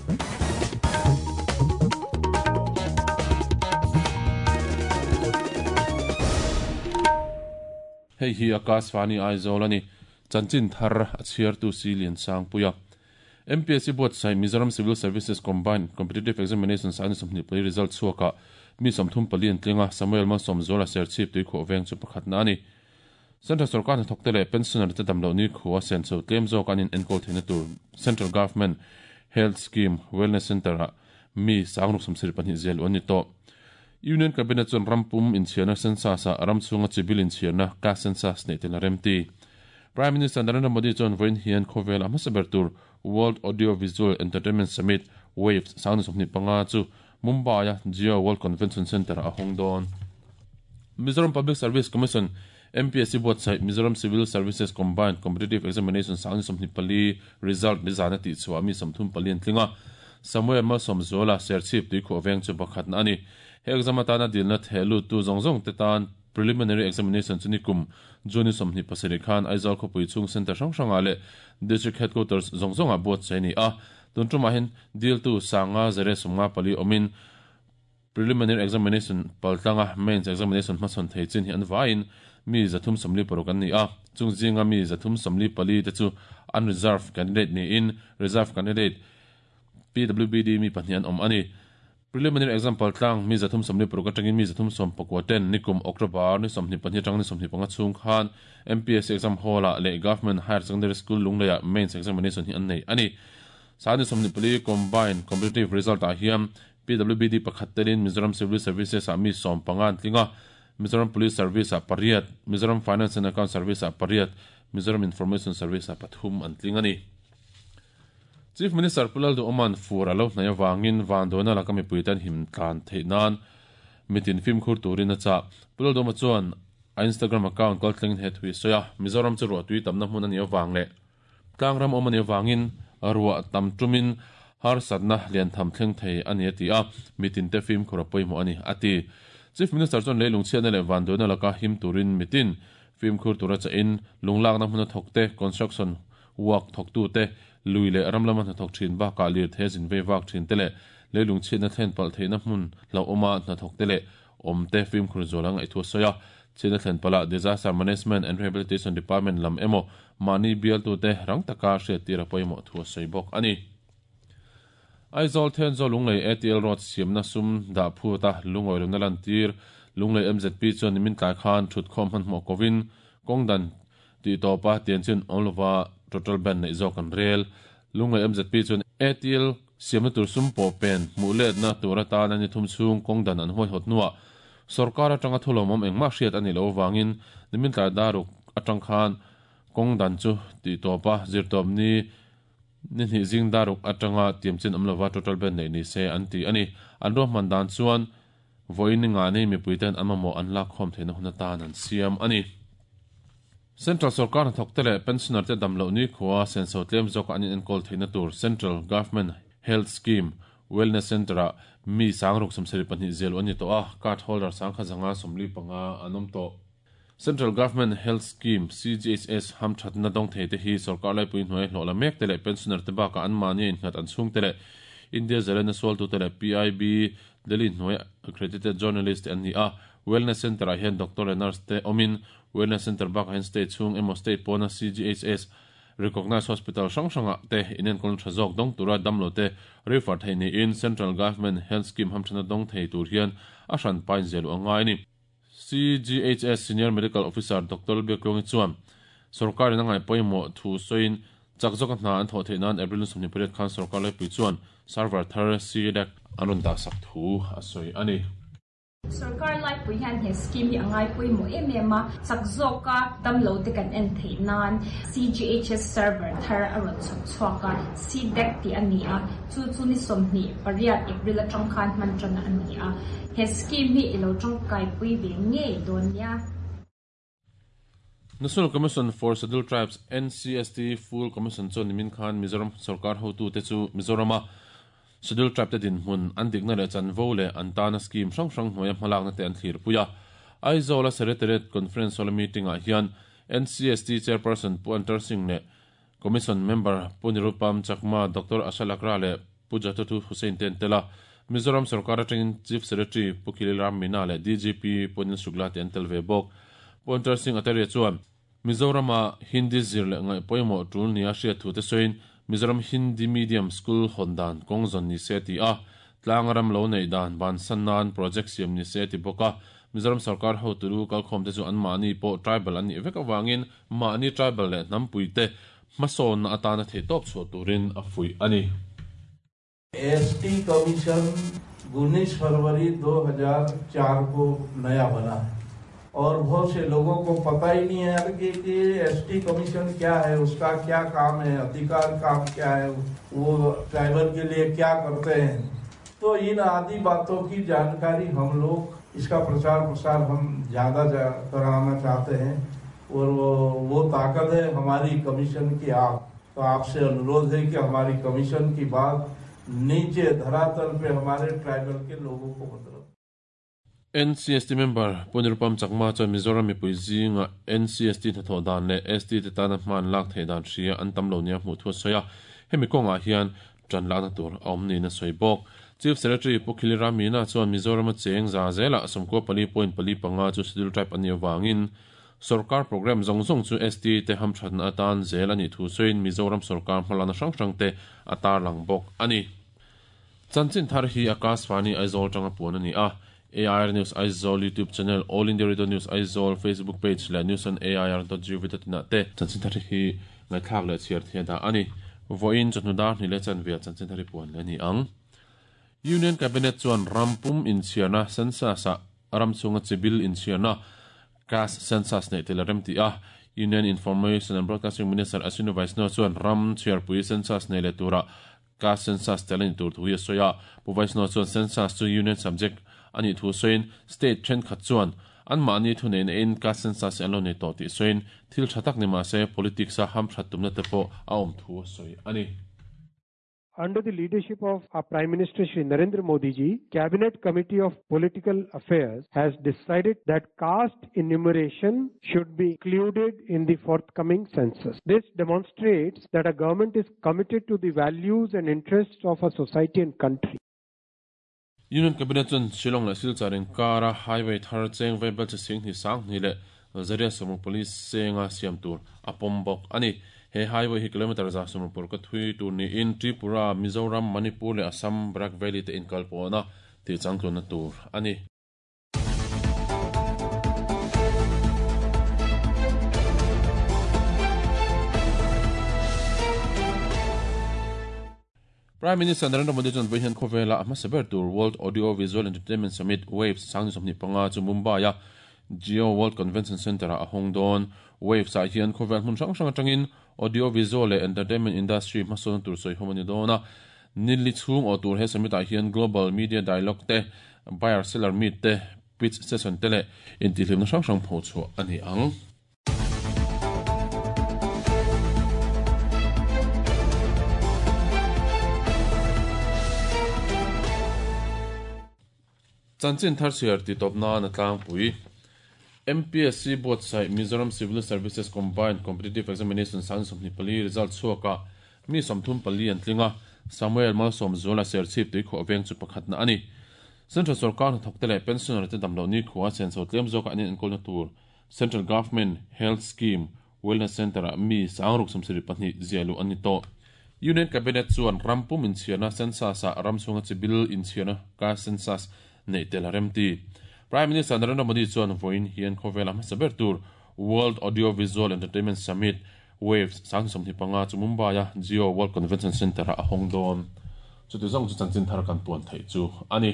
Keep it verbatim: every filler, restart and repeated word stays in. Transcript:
Hei hi Akashvani Aizawl ani chanchin thar a chhiar tu si lian sang puia M P S C board sai Mizoram Civil Services Combined Competitive Examination sa ni play result chuaka mi somthum palian tlinga Samuel Mansom Zola serchip tui kho veng chu pakhat na ani Central Sarkar thoktele pensioner te damlo ni khuwa sen so tlem zo kanin enkol theina tur Central Government Health Scheme Wellness Center a mi sangruk samsir pani zel oni to Union Cabinet chon rampum in chiana census a ramchunga civil in chiana ka census nei tel remti Prime Minister Narendra Modi chon voin hian khovel a hmasaber tur World Audio Visual Entertainment Summit Waves sang somni panga chu Mumbai a Jio World Convention Center a hongdon Mizoram Public Service Commission M P S C board sai Mizoram Civil Services Combined Competitive Examination sang somni pali result nizana ti chua mi samthum palian tlinga Samuel Malsom Zola serchip tui kho veng chu pakhat na ani he exam atana dilna thelu tu zongzong te tan preliminary examination chuni kum juni somni pasari khan Aizawl khopui chung center hrang hranga le district headquarters zongzonga board cheni a tunṭuma hin dil tu sanga zere sumnga pali omin preliminary examination paltanga mains examination hmasawn thei chin hi an vain mi zathum somli paruk an ni a chung zinga mi zathum somli pali te chu unreserved candidate ni in reserved candidate P W B D mi pahnih an awm ani preliminary exam paltlang mi zathum somli paruk atangin mi zathum som pakua ten nikum October ni somhnih pahnih atang ni somhnih panga chung khan M P S C exam hall ah leh Government Higher Secondary School Lungleia mains examination hi an nei ani sani somhnih pali combined competitive result ah hian P W B D pakhat telin Mizoram Civil Services ah mi som panga an tlinga Mizoram Police Service ah pariat Mizoram Finance and Account Service ah pariat Mizoram Information Service ah pathum an tling ani Chief Minister Pulal du Oman fur alo hnai awangin vandona lakami puitan him tlan theinan mitin film khur turin a cha Pulal du chuan a Instagram account kal thleng he thui soya Mizoram chu ro tui tamna hmun ani awang le tlangram awm ani awangin ruwa tam tumin har satna lian tham thleng thei ani ati a mitin te film khur poimo ani ati Chief Minister chuan leilung chian le vandona laka him turin mitin film khur tura cha in lunglak na hmun thokte construction work thoktu te lui le ramlama hna thok thin ba ka lir the zin ve wak thin tele leilung chin na thlen pal theina hmun lo oma hna thok tele om te film khur zolang ai thu soya chin na thlen pala disaster management and rehabilitation department lam emo mani bial tu te rang taka hre tira poimo thu soi bok ani Aizawl then zo lunglei A T L road siamna sum da phu ta lungoi lungna lan tir lunglei M Z P chuan min tlai khan thut khom han hmo kovin kongdan ti topa tian chin onlova total ban nei zawk an rel lunglei M Z P chuan A T L siamna tur sum pawh pen hmuh let na tur atan ani thum chhung kawngdan an huai hawt hnuah sarkar atanga thulawm awm engmah hriat ani lo wangin nimin tlai daruk atang khan kawngdan chu ti tawpa zirtawp ni ni hnih zing daruk atanga tiamchin awm lova total ban nei ni se an ti ani an ruahman dan chuan vawiin nga nei mipuiten an mamawh an lak khawm theihna hun atan an siam ani Central Sarkar thoktele pensioner te damlo ni khuwa senso tlem zawk an enkol theina tur Central Government Health Scheme Wellness Center a mi sangruk samsari pahnih zel ani to a card holder sangkha zanga somli panga anom to Central Government Health Scheme C G H S ham thatna dong thei te hi sarkar lai pui hnuai hlo la mek tele pensioner te baka an mani in ngat an chung tele India Zalena Swal tu tele P I B Delhi hnuai accredited journalist an ni a Wellness Center a hian doctor and nurse te omin Wellness Center bak hen state chung emo state pona C G H S recognized hospital hrang hranga te inen kon thazok dong tura damlo te refer thei ni in Central Government Health Scheme hamthana dong thei tur hian a hran pain zelu angai ni C G H S Senior Medical Officer Doctor Beklong chuan sarkar in angai poimo thu soin chakzok hna an tho thei nan April somni period khan sarkar lai pui chuan server thar C D A C anun da sak thu a soi ani Sarkar lai pui hian he scheme hi angai pui mo em em a chakzoka damlo te kan en thei nan C G H S server thar a rawn chhawk chhuaka C D A C ti ani a chu chu ni sawmhnih pariat April atang khan hman tan ani a he scheme hi ilo tangkai pui ve ngei dawn nia National Commission for Scheduled Tribes N C S T Full Commission chuan nimin khan Mizoram sarkar hotu te chu Mizorama Scheduled Tribe te din hmun an dikna leh chanvo leh an tana scheme hrang hrang hnuaia hmalakna te an thlir puia Aizawl Secretariat Conference hall meeting ah hian N C S T Chairperson Pu Antar Singh leh Commission Member Pu Nirupam Chakma Doctor Asha Lakra leh Pu Jatatu Hussain ten tela Mizoram sarkar atangin Chief Secretary Pu Khilil Ram Meena leh D G P Pu Anil Shukla te an tel ve bawk. Pu Antar Singh Acharya chuan Mizorama Hindi zir leh ngaih pawimawh tul nia hriat thu te sawiin Mizoram Hindi Medium School hawn dan kawng zawn ni se ti a, tlang ram lo nei dan ban san nan project siam ni se ti bawk a. Mizoram sarkar ho turu kalkhawm te chu an mahni pawh tribal an nih vek awangin mahni tribal leh hnampui te hmasawn na atana thei tawp chhuah turin a fuih a ni. S T commission उन्नीस फरवरी दो हज़ार चार को नया बना है और बहुत से लोगों को पता ही नहीं है कि, कि S T commission क्या है, उसका क्या काम है, अधिकार काम क्या है, वो ट्राइबल के लिए क्या करते हैं। तो इन आदि बातों की जानकारी हम लोग, इसका प्रचार प्रसार हम ज़्यादा कराना चाहते हैं और वो, वो ताकत है हमारी कमीशन की। आप तो आपसे अनुरोध है कि हमारी कमीशन की बात नीचे धरातल पे हमारे ट्राइबल के लोगों को मतलब। N C S T member Punirupam Chakma chuan Mizoram mipui zinga N C S T hnathawh dan leh S T te tana hman lak thei dan hria an tam lo nia hmuh thu a sawi a, hemi kawngah hian tan lakna tur a awm niin a sawi bawk. Chief Secretary Pu Khilil Ram Meena chuan Mizorama cheng za zela sawmkua pali point pali panga chu schedule tribe an nih awangin sarkar program zawng zawng chu S T te hamthatna atan zel ani thu sawiin Mizoram sarkar hmalana hrang hrang te a tarlang bawk a ni. Chanchin thar hi Akashvani Aizawl tanga puan ani a. A I R News Aizawl YouTube channel, All India Radio News Aizawl Facebook page leh news on A I R dot gov dot in ah te chanchin thar hi ngaithlak leh chhiar thei da ani. Vawiin chawhnu dar hnih leh chanve chanchin thar hi puan leh ni ang. Union Cabinet chuan rampum inchhiarna census ah ram chunga chibil inchhiarna caste census nei tel a rem ti a. Union Information and Broadcasting Minister Ashwini Vaishnaw chuan ram chhiarpui census nei leh tura caste census tel ani tur thu hi a sawi a. Pu Vaishnaw chuan census chu union subject ani thu sawiin state thenkhat chuan an mahni thu nei na in caste census an lo nei tawh tih sawiin thil tha tak ni mahse politics a hamthat tumna te pawh a awm thu a sawi ani. Under the leadership of our Prime Minister Shri Narendra Modi ji, Cabinet Committee of Political Affairs has decided that caste enumeration should be included in the forthcoming census. This demonstrates that a government is committed to the values and interests of a society and country. Union Cabinet chuan Shillong leh Silchar inkara highway thar cheng veibel chi sing hnih sang hnih leh Zaria sawmruk pali chenga siam tur a pawm bawk ani. He highway hi kilometer za sawmruk paruk ka thui tur niin Tripura, Mizoram, Manipur leh Assam Barak Valley te inkal pawna tih changtluna tur ani. Prime Minister Narendra Modi chuan vawiin khawvela a hmasa ber tur World Audio Visual Entertainment Summit Waves sang sawmhnih panga chu Mumbai a Jio World Convention Centre ah a hawng dawn. Waves ah hian khawvel hmun hrang hrang atangin audio visual leh entertainment industry hmasawn tur sawi hawm ani dawn a. Nilli chhung aw tur he summit ah hian global media dialogue te, buyer seller meet te, pitch session te leh intihhlimna hrang hrang pho chhuah ani ang. Chanchin thar chhiar ti tawp nan a tlangpui. M P S C buatsaih Mizoram Civil Services Combined Competitive Examination sang sawmhnih pali result chhuaka mi sawmthum pali an tlinga. Samuel Malsawm Zuala Serchhip tui khuah veng chu pakhatna ani. Central sarkar hnathawk te leh pensioner te damloh ni khuah senso tlem zawka an enkawlna tur Central Government Health Scheme Wellness Centre ah mi sangruk sawmsarih pahnih ziahluh an ni tawh. Union Cabinet chuan rampum inchhiarna census ah ram chhunga chibil inchhiarna caste census nei tel a rem ti. Prime Minister Narendra Modi chuan vawiin hian khawvela hmasa ber tur World Audio Visual Entertainment Summit Waves sang sawmhnih panga chu Mumbai a Jio World Convention Centre ah a hawng dawn. Chuti zawng chu chanchin thar kan puan theih chu ani.